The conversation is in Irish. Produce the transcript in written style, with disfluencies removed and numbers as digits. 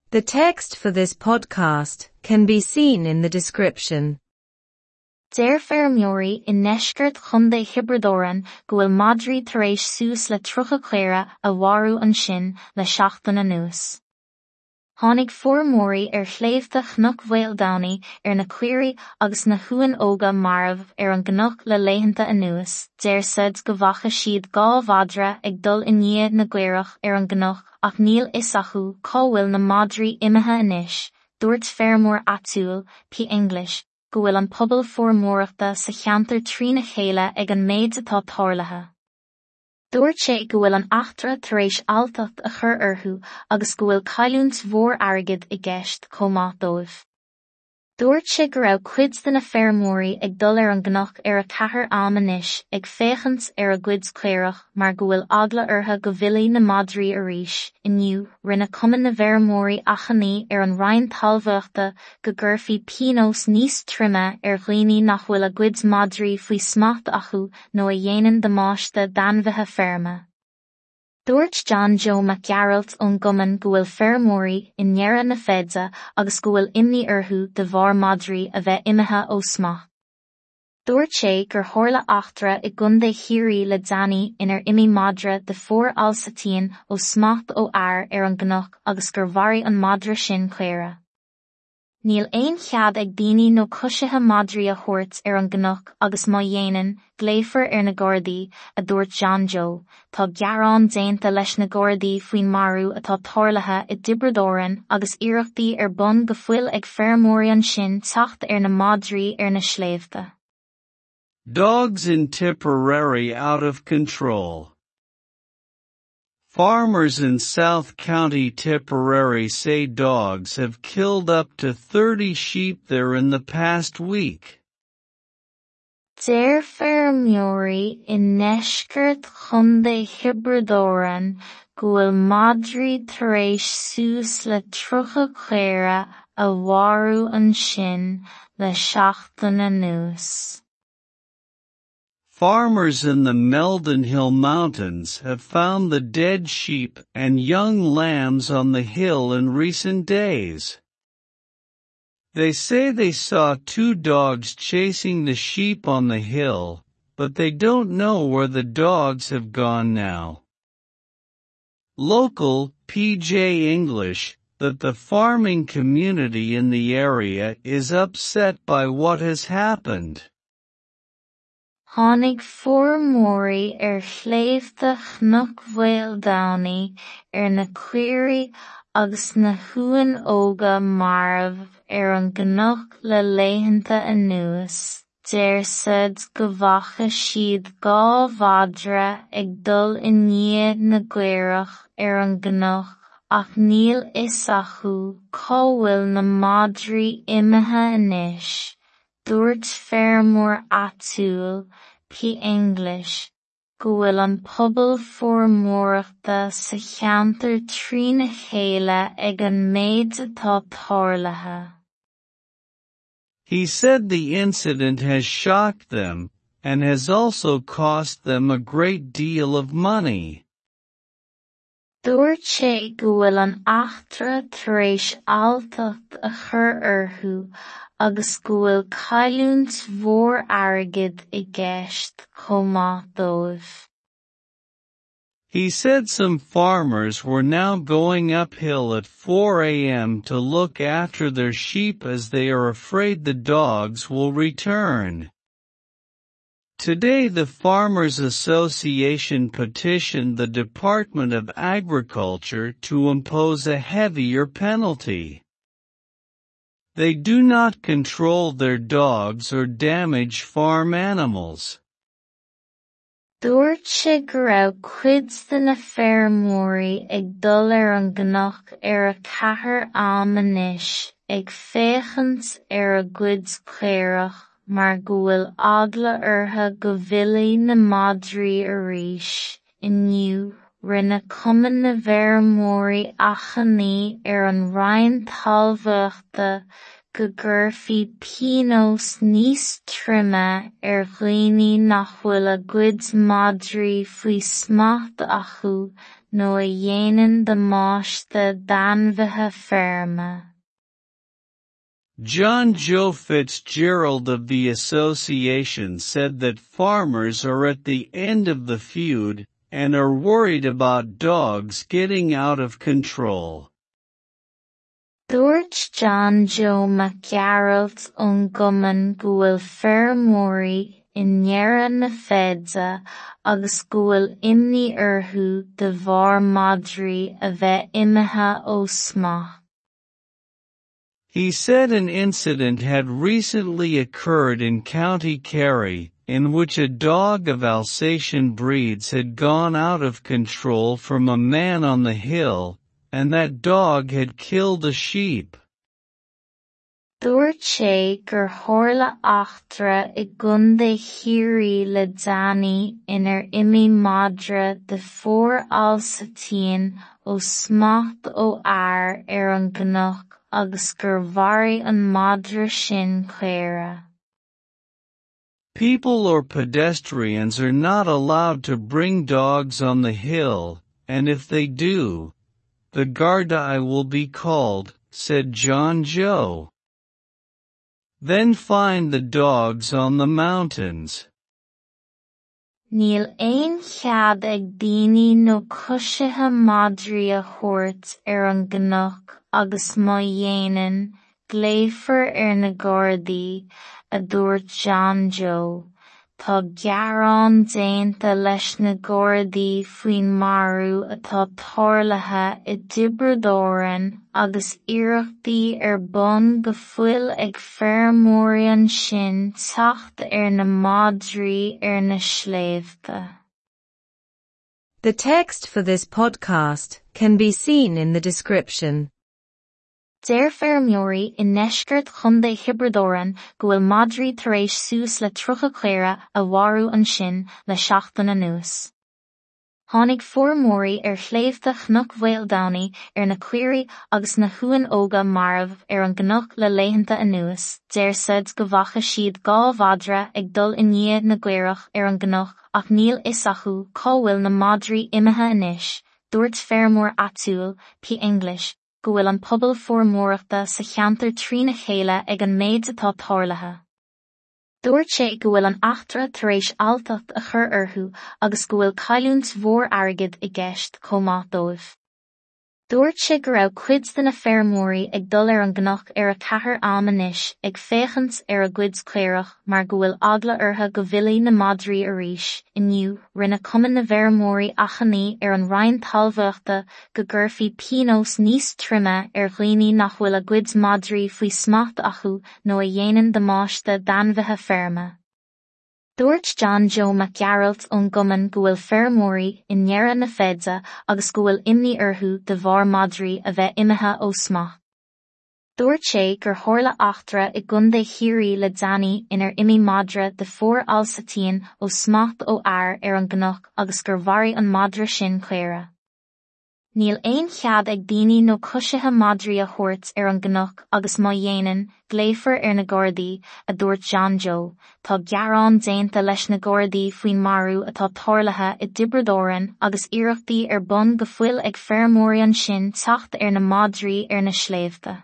The text for this podcast can be seen in the description. Deir feirmeoirí i ndeisceart Chontae Thiobraid Árann go bhfuil madraí tar éis suas le 30 caora a mharú ansin le seachtain anuas. Tháinig feirmeoirí ar shléibhte Chnoc Mhaoldomhnaigh ar na caoirigh agus na huain óga marbh ar an gcnoc le laethanta anuas, deir said go bhfaca siad 2 mhadra ag dul i ndiaidh na gcaorach ar an gcnoc ach níl fhios acu cá bhfuil na madraí imithe anois, dúirt feirmeoir áitiúil, P. English, go bhfuil an pobal feirmeoireachta sa cheantar trína chéile ag an méid atá tarlaithe. Dúirt sé go bhfuil an eachtra tar éis alltacht a chur orthu agus go bhfuil cailliúint mhór airgid i gceist chomh maith dóibh. Dúirt sé go raibh cuid de na feirmeoirí ag dul ar an gcnoc ar a 4 am anois ag féachaint ar a gcuid caorach mar go bhfuil eagla orthu go bhfillfidh na madraí arís. Inniu, rinne Cumann na bhFeirmeoirí achainí ar an Roinn Talmhaíochta go gcuirfí pionós níos troime ar dhaoine nach bhfuil a gcuid madraí faoi smacht acu nó a dhéanann damáiste d'ainmhithe feirme. Dúirt John Joe Mac Gearailt ón gcumann go bhfuil feirmeoirí i ndeireadh na feide agus go bhfuil imní orthu de bharr madraí a bheith imithe ó smacht. Dúirt sé gur tharla eachtra i gContae Chiarraí le déanaí inar imigh madra de phór Alsatian ó smacht ó fhear ar an gcnoc agus gur mharaigh an madra sin caora. Níl aon chead ag daoine nó coisithe madraí a thabhairt ar an gcnoc agus má dhéanann, glaofar ar na Gardaí, a dúirt John Joe. Tá gearán déanta leis na Gardaí faoin marú atá tarlaithe i dTiobraid Árann agus iarrachtaí ar bun go fóill ag feirmeoirí ansin teacht ar na madraí ar na sléibhte. Dogs in Tipperary out of control. Farmers in South County Tipperary say dogs have killed up to 30 sheep there in the past week. Deir feirmeoirí i ndeisceart Chontae Thiobraid Árann go bhfuil madraí tar éis suas le 30 caora a mharú ansin le seachtain anuas. Farmers in the Meldon Hill Mountains have found the dead sheep and young lambs on the hill in recent days. They say they saw two dogs chasing the sheep on the hill, but they don't know where the dogs have gone now. Local, P.J. English, that the farming community in the area is upset by what has happened. Tháinig feirmeoirí ar shléibhte Chnoc Mhaoldomhnaigh ar na caoirigh agus na huain óga marbh ar an gcnoc le laethanta anuas, deir said go bhfaca siad 2 mhadra ag dul i ndiaidh na gcaorach ar an gcnoc ach níl fhios acu cá bhfuil na madraí imithe anois, dúirt feirmeoir áitiúil, P. English, go bhfuil an pobal feirmeoireachta sa cheantar trína chéile ag an méid atá tarlaithe. He said the incident has shocked them, and has also cost them a great deal of money. Dúirt sé go bhfuil an eachtra tar éis alltacht a chur orthu agus go bhfuil cailliúint mhór airgid i gceist chomh maith dóibh. He said some farmers were now going uphill at 4 a.m. to look after their sheep as they are afraid the dogs will return. Today the Farmers Association petitioned the Department of Agriculture to impose a heavier penalty. They do not control their dogs or damage farm animals. Dúirt sé go raibh cuid de na feirmeoirí ag dul ar an gcnoc ar a 4 am anois ag féachaint ar a gcuid caorach mar go bhfuil eagla orthu go bhfillfidh na madraí arís. Inniu, rinne Cumann na bhFeirmeoirí achainí ar an Roinn Talmhaíochta go gcuirfí pionós níos troime ar dhaoine nach bhfuil a gcuid madraí faoi smacht acu nó a dhéanann damáiste d'ainmhithe feirme. John Joe Fitzgerald of the association said that farmers are at the end of the feud and are worried about dogs getting out of control. Dúirt John Joe Mac Gearailt ón gcumann go bhfuil feirmeoirí i ndeireadh na feide agus go bhfuil imní orthu de bharr madraí a bheith imithe ó smacht. He said an incident had recently occurred in County Kerry, in which a dog of Alsatian breeds had gone out of control from a man on the hill, and that dog had killed a sheep. Dúirt sé gur tharla eachtra i gContae Chiarraí le déanaí inar imigh madra de phór Alsatian ó smacht ó fhear ar an gcnoc agus gur mharaigh an madra sin caora. People or pedestrians are not allowed to bring dogs on the hill, and if they do, the Gardaí will be called, said John Joe. Then find the dogs on the mountains. Níl aon chead ag daoine nó coisithe madraí a thabhairt ar an gcnoc agus má dhéanann, glaofar ar na Gardaí, a dúirt John Joe. Tá gearán déanta leis na Gardaí faoin marú atá tarlaithe i dTiobraid Árann agus iarrachtaí ar bun go fóill ag feirmeoirí ansin teacht ar na madraí ar na sléibhte. The text for this podcast can be seen in the description. Deir feirmeoirí i ndeisceart Chontae Thiobraid Árann go bhfuil madraí tar éis suas le 30 caora a mharú ansin le seachtain anuas. Tháinig feirmeoirí ar shléibhte Chnoc Mhaoldomhnaigh ar na caoirigh agus na huain óga marbh ar an gcnoc le laethanta anuas, deir siad go bhfaca siad 2 mhadra ag dul i ndiaidh na gcaorach ar an gcnoc ach níl fhios acu cá bhfuil na madraí imithe anois, dúirt feirmeoir áitiúil, P. English, go bhfuil an pobal feirmeoireachta sa cheantar trína chéile ag an méid atá tarlaithe. Dúirt sé go bhfuil an eachtra tar éis alltacht a chur orthu agus go bhfuil cailliúint mhór airgid i gceist chomh maith dóibh. Dúirt sé go raibh cuid de na feirmeoirí ag dul ar an gcnoc ar 4 am anois ag féachaint ar a gcuid caorach mar go bhfuil eagla orthu go bhfillfidh na madraí arís. Inniu, rinne Cumann na bhFeirmeoirí achainí ar an Roinn Talmhaíochta go gcuirfí pionós níos troime ar dhaoine nach bhfuil a gcuid madraí faoi smacht acu nó a dhéanann damáiste d'ainmhithe feirme. Dúirt John Joe Mac Gearailt ón gcumann go bhfuil feirmeoirí i ndeireadh na feide agus go bhfuil imní orthu de bharr madraí a bheith imithe ó smacht. Dúirt sé gur tharla eachtra i gContae Chiarraí le déanaí inar imigh madra de phór Alsatian ó smacht ó fhear ar an gcnoc agus gur mharaigh an madra sin caora. Níl aon chead ag daoine nó coisithe madraí a thabhairt ar an gcnoc agus má dhéanann, glaofar ar na Gardaí, a dúirt John Joe. Tá gearán déanta leis na Gardaí faoin marú atá tarlaithe i dTiobraid Árann agus iarrachtaí ar bun go fóill ag feirmeoirí ansin teacht ar na madraí ar na sléibhte.